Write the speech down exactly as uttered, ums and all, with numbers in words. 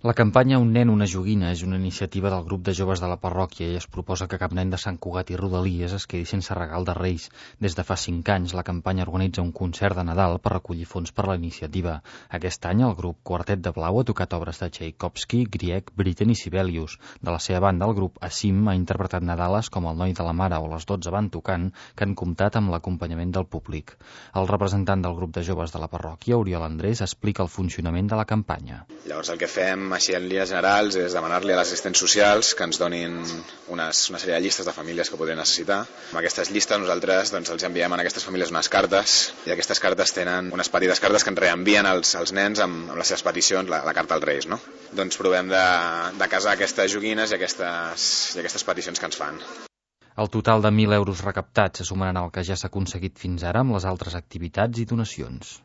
La campanya Un nen, una joguina és una iniciativa del grup de joves de la parròquia i es proposa que cap nen de Sant Cugat i Rodalies es quedi sense regal de Reis. Des de fa cinc anys, la campanya organitza un concert de Nadal per recollir fons per la iniciativa. Aquest any, el grup Quartet de Blau ha tocat obres de Tchaikovsky, Grieg, Britten i Sibelius. De la seva banda, el grup Assim ha interpretat Nadales com El noi de la mare o Les dotze van tocant, que han comptat amb l'acompanyament del públic. El representant del grup de joves de la parròquia, Oriol Andrés, explica el funcionament de la campanya. Llavors el que fem així en línies generals és demanar-li a les assistents socials que ens donin unes, una sèrie de llistes de famílies que podrien necessitar. Amb aquestes llistes nosaltres doncs, els enviem a aquestes famílies unes cartes i aquestes cartes tenen unes petites cartes que ens reenvien als, als nens amb, amb les seves peticions, la, la carta als Reis. No? Doncs provem de, de casar aquestes joguines i aquestes, i aquestes peticions que ens fan. El total de mil euros recaptats se sumaran al que ja s'ha aconseguit fins ara amb les altres activitats i donacions.